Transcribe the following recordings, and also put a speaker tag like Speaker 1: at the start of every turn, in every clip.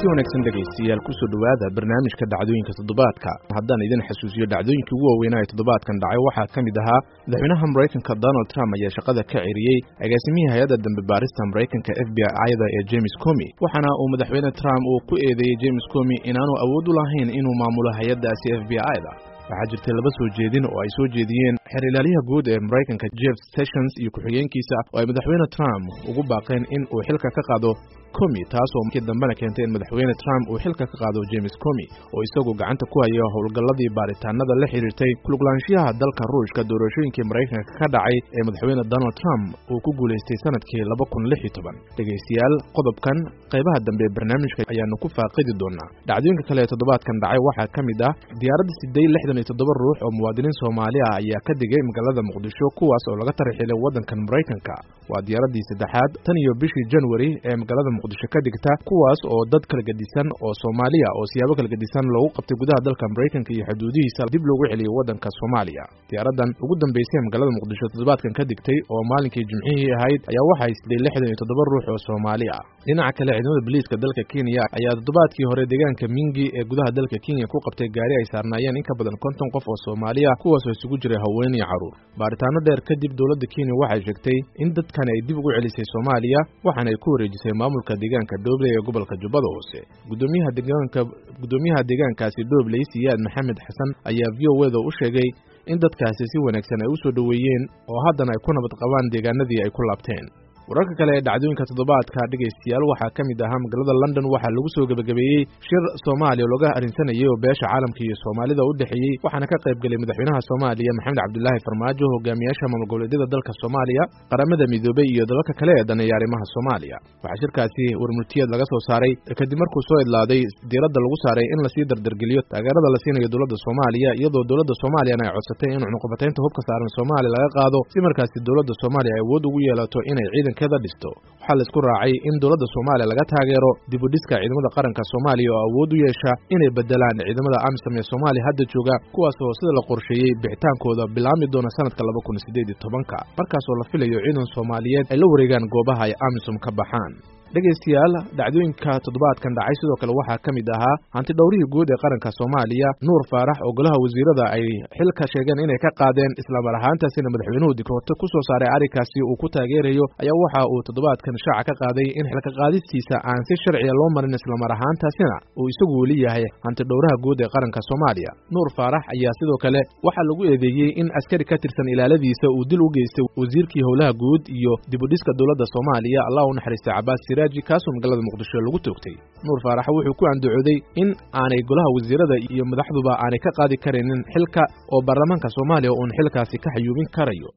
Speaker 1: Kulanti wanaagsan dhegaystayaal, kusoo dhowaada barnaamijka dhacdooyinka toddobaadka. Haddaan idin xasuusiyo dhacdooyinkii ugu waaweynaa ee toddobaadkan dhacay, waxaa ka mid ahaa madaxweynaha Maraykanka Donald Trump ayaa shaqada ka ceriyey agaasimihii hay-adda dambe baarista Maraykanka FBI-da ee James Comey, waxaana uu madaxweyne Trump uu ku eedeeyey James Comey inaanu awood u lahayn inuu maamulo hay-addaasi FBI-da. Waxaa jirtay laba soo jeedin oo ay soo jeediyeen xeer ilaalyaha guud ee Maraykanka Jeff Sessions iyo ku-xigeenkiisa oo ay madaxweyne Trump ugu baaqeen in uu xilka ka qaado Comey, taasoo markii dambena keentay in madaxweyne Trump uu xilka ka qaado James Comey oo isagu gacanta ku haya howlgalladii baaritaanada la xiriirtay kuluglaanshiyaha dalka Ruushka doorashooyinkii Maraykanka ka dhacay ee madaxweyne Donald Trump uu ku guulaystay sanadkii 2016. Dhegaystayaal, qodobkan qaybaha dambe ee barnaamijka ayaanu ku faaqidi doonaa. Dhacdooyinka kale ee toddobaadkan dhacay waxaa ka mid ah diyaaradda siday 67 ruux oo muwaadiniin Soomaali ah ayaa ka digay magaalada Muqdisho, kuwaas oo laga tarxilay waddankan Maraykanka. Waa diyaaraddii saddexaad tan iyo bishii January ee magaalada Muqdisho ka digta, kuwaas oo dad kala gedisan oo Soomaaliya oo siyaabo kala gedisan loogu qabtay gudaha dalka Maraykanka iyo xuduudihiisa dib loogu celiyey waddanka Soomaaliya. Diyaaraddan ugu dambeysay ee magaalada Muqdisho toddobaadkan ka digtay oo maalinkii Jimcihii ahayd ayaa waxaa siday 67 ruux oo Soomaali ah. Dhinaca kale, ciidamada booliiska dalka Kenya ayaa toddobaadkii hore deegaanka Mingi ee gudaha dalka Kenya ku qabtay gaari ay saarnaayeen in ka badan 50 qof oo Soomaali ah, kuwaasoo isugu jiray haween iyo carruur. Baaritaano dheer kadib, dowladda Kenya waxay sheegtay in dadkani ay dib ugu celisay Soomaaliya, waxaana ay ku wareejisay maamulka deegaanka Dhobley ee gobolka Jubbada Hoose. Gudoomiyaha deegaanka, guddoomiyaha deegaankaasi Dhobley, Siyaad Maxamed Xasan, ayaa VOA-da u sheegay in dadkaasi si wanaagsan ay u soo dhoweeyeen oo haddana ay ku nabad qabaan deegaanadii ay ku laabteen. Wararka kale ee dhacdooyinka toddobaadka, dhegaystayaal, waxaa ka mid ahaa magaalada London waxaa lagu soo gebagabeeyey shir Soomaaliya looga arrinsanayay oo beesha caalamka iyo Soomaalida u dhexeeyey, waxaana ka qayb gelay madaxweynaha Soomaaliya Maxamed Cabdilaahi Farmaajo, hogaamiyaasha maamul goboleedyada dalka Soomaaliya, Qaramada Midoobey iyo dalalka kale ee daneeya arrimaha Soomaaliya. Waxaa shirkaasi warmurtiyeed laga soo saaray kadib markuu soo idlaaday diiradda lagu saaray in lasii dardargeliyo taageerada la siinayo dowladda Soomaaliya, iyadoo dowladda Soomaaliyana ay codsatay in cunuqabataynta hubka saaran Soomaaliya laga qaado si markaasi dowladda Soomaaliya ay awood ugu yeelato inay ciidankeeda dhisto. Waxaa la isku raacay in dowladda Soomaaliya laga taageero dib u dhiska ciidamada qaranka Soomaaliya oo awood u yeesha inay bedelaan ciidamada AMISOM ee Soomaaliya hadda jooga, kuwaas oo sida la qorsheeyey bixitaankooda bilaami doona sanadka 2018-ka, markaasoo la filayo ciidan Soomaaliyeed ay la wareegaan goobaha ay AMISOM ka baxaan. Dhegaystayaal, dhacdooyinka toddobaadkan dhacay sidoo kale waxaa ka mid ahaa hanti dhowrihii guud ee qaranka Soomaaliya Nuur Faarax oo golaha wasiirada ay xilka sheegeen inay ka qaadeen, islamar ahaantaasina madaxweynuhu dikroto ku soo saaray arrinkaasi uu ku taageerayo, ayaa waxa uu toddobaadkan shaaca ka qaaday in xilka qaadistiisa aan si sharciya loo marin, islamar ahaantaasina uu isagu weli yahay hanti dhowraha guud ee qaranka Soomaaliya. Nuur Faarax ayaa sidoo kale waxaa lagu eedeeyey in askari ka tirsan ilaaladiisa uu dil u geystay wasiirkii howlaha guud iyo dib u dhiska dowladda Soomaaliya, Allah u naxariistay, Cabaas Siraaj, kaasoo magaalada Muqdisho lagu toogtay. Nuur Faarax wuxuu ku andacooday in aanay golaha wasiirada iyo madaxduba aanay ka qaadi karaynin xilka oo baarlamaanka Soomaaliya uun xilkaasi ka xayuubin karayo.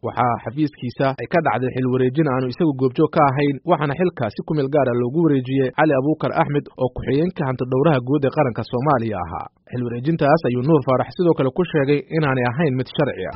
Speaker 1: Waxaa xafiiskiisa ay ka dhacday xil wareejin aanu isagu goobjoog ka ahayn, waxaana xilka si ku meel gaara loogu wareejiyey Cali Abuukar Axmed oo ku-xigeenka hantidhowraha guud ee qaranka Soomaaliya ahaa. Xil wareejintaas ayuu Nuur Faarax sidoo kale ku sheegay inaanay ahayn mid sharci ah.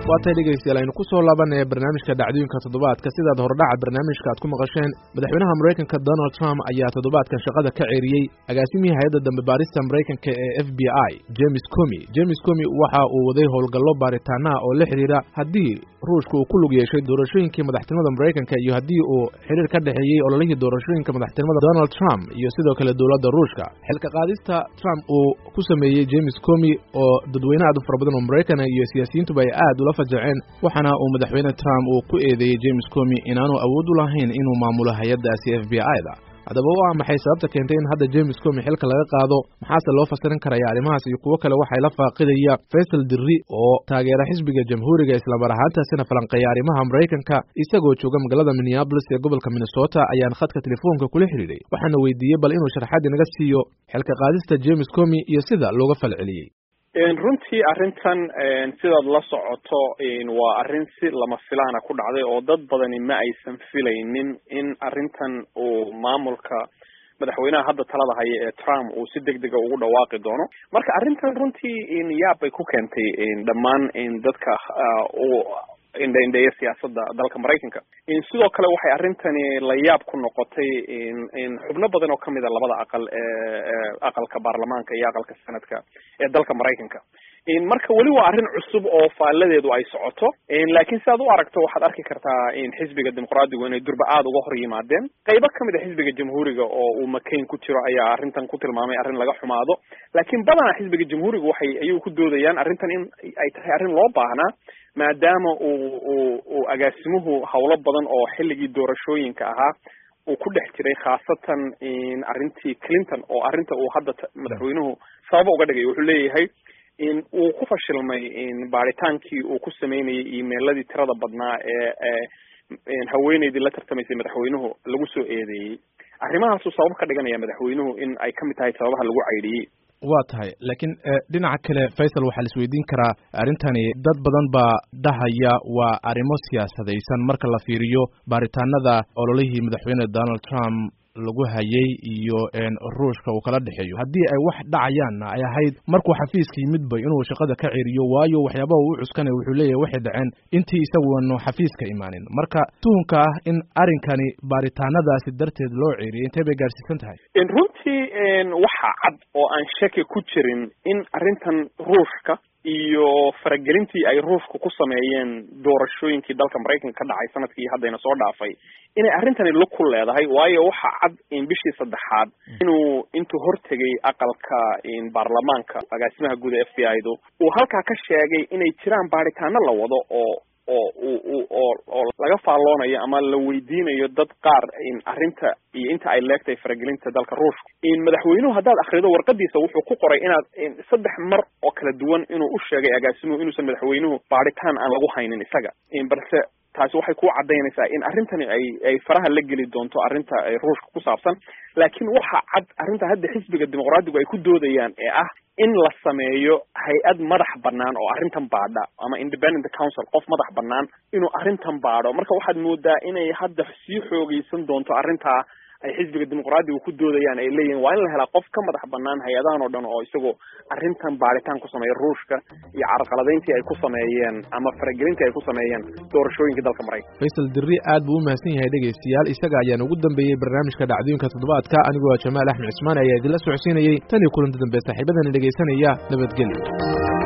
Speaker 1: Waa tay dhegaystayaal, aynu ku soo laabanaya barnaamijka dhacdooyinka toddobaadka. Sidaad hordhaca barnaamijka aad ku maqasheen, madaxweynaha Maraykanka Donald Trump ayaa toddobaadkan shaqada ka ceeriyey agaasimihii hay-adda dambe baarista Maraykanka ee FBI James Comey. James Comey waxa uu waday howlgallo baaritaanaha oo la xiriira haddii Ruushka uu ku lug yeeshay doorashooyinkii madaxtinimada Maraykanka iyo haddii uu xiriir ka dhexeeyey ololihii doorashooyinka madaxtinimada Donald Trump iyo sidoo kale dowladda Ruushka. Xilka qaadista Trump uu ku sameeyey James Comey oo dadweyne aad u fara badan oo Maraykan iyo siyaasiyiintuba ay aad ula fajaceen, waxaana uu madaxweyne Trump uu ku eedeeyey James Comey inaanu awood u lahayn inuu maamulo hay-addaasi FBI-da. Haddaba waa maxay sababta keentay in hadda James Comey xilka laga qaado? Maxaase loo fasirin karaya? Arrimahaas iyo kuwo kale waxay la faaqidaya Faysal Dirri oo taageera xisbiga Jamhuuriga, islamar ahaantaasina falanqeeya arrimaha Maraykanka, isagoo jooga magaalada Minneapolis ee gobolka Minnesota ayaan khadka telefoonka kula xiriiray, waxaana weydiiyey bal inuu sharxaad inaga siiyo xilka qaadista James Comey iyo sida looga falceliyey.
Speaker 2: Runtii arrintan, sidaad la socoto, waa arrin si lama filaana ku dhacday oo dad badani ma aysan filaynin in arrintan uu maamulka madaxweynaha hadda talada haya ee Trump uu si degdega ugu dhawaaqi doono. Marka arrintan runtii yaab bay ku keentay dhammaan dadka u indha-indheeya siyaasadda dalka Maraykanka. Sidoo kale waxay arrintani la yaab ku noqotay xubno badan oo kamid a labada aqal ee aqalka baarlamaanka iyo aqalka sanadka ee dalka Maraykanka. Marka weli waa arrin cusub oo faalladeedu ay socoto, laakiin sidaad u aragto waxaad arki kartaa in xisbiga dimuqraadigu inay durba aada uga hor yimaadeen. Qaybo kamid a xisbiga jamhuuriga oo uu McCain ku jiro ayaa arrintan ku tilmaamay arrin laga xumaado, laakiin badanaa xisbiga jamhuuriga waxay ayagu ku doodayaan arrintan in ay tahay arrin loo baahnaa, maadaama uu agaasimuhu howlo badan oo xilligii doorashooyinka ahaa uu ku dhex jiray, khaasatan arrintii Clinton oo arrinta uu hadda madaxweynuhu sababa uga dhigay. Wuxuu leeyahay in uu ku fashilmay baaritaankii uu ku sameynayay emailadii tirada badnaa ee haweeneydii la tartamaysay madaxweynuhu lagu soo eedeeyey. Arrimahaasuu sabab ka dhiganaya madaxweynuhu in ay kamid tahay sababaha lagu caydhiyey.
Speaker 1: Waa tahay, laakiin dhinaca kale Faysal, waxaa la isweydiin karaa arrintani dad badan baa dhahaya waa arrimo siyaasadaysan marka la fiiriyo baaritaanada ololihii madaxweyne Donald Trump lagu hayay iyo Ruushka uu kala dhexeeyo. Haddii ay wax dhacayaanna ay ahayd markuu xafiiska yimidba inuu shaqada ka ceriyo, waayo waxyaabaha uu cuskanaya wuxuu leeyahay waxay dhaceen intii isaguanu xafiiska imaanin. Marka tuhunka ah in arrinkani baaritaanadaasi darteed loo ceriyay intee bay gaarsiisan tahay?
Speaker 2: Runtii waxa cad oo aan shaki ku jirin in arrintan Ruushka iyo faragelintii ay Ruushku ku sameeyeen doorashooyinkii dalka Maraykanka ka dhacay sanadkii haddayna soo dhaafay inay arrintani lug ku leedahay. Waayo waxa cad in bishii saddexaad inuu intuu hortegay aqalka baarlamaanka agaasimaha guud ee FBI du uu halkaa ka sheegay inay jiraan baaritaano la wado oo oo oo oo laga faalloonayo ama la weydiinayo dad qaar in arrinta iyo inta ay leegtahay faragelinta dalka Ruushka. Madaxweynuhu haddaad akrido warqadiisa wuxuu ku qoray inaad 3 mar oo kala duwan inuu u sheegay agaasimuhu inuusan madaxweynuhu baaritaan aan lagu haynin isaga, balse taasi waxay ku caddaynaysaa in arrintani ay faraha la geli doonto arrinta Ruushka ku saabsan. Laakiin waxa cad arrinta hadda xisbiga dimuqraadigu ay ku doodayaan ee ah in la sameeyo hay-ad madax bannaan oo arrintan baadha, ama independent council, qof madax bannaan inuu arrintan baadho. Marka waxaad moodaa inay hadda sii xoogeysan doonto arrintaa ay xisbiga dimuqraadigu ku doodayaan, ay leeyihin waa in la helaa qof ka madax bannaan hay-adahan oo dhan oo isagoo arrintan baaritaan ku sameeya Ruushka iyo carqaladayntii ay ku sameeyeen ama faragelintii ay ku sameeyeen doorashooyinka dalka Maraykanka.
Speaker 1: Faysal Dirri aad buu u mahadsan yahay dhegaystayaal, isaga ayaan ugu dambeeyey barnaamijka dhacdooyinka toddobaadka. Anigoo Jamaal Axmed Cismaan ayaa idinla socodsiinayey. Tan iyo kulanta dambe saaxiibadani dhegaysanaya, nabadgelyo.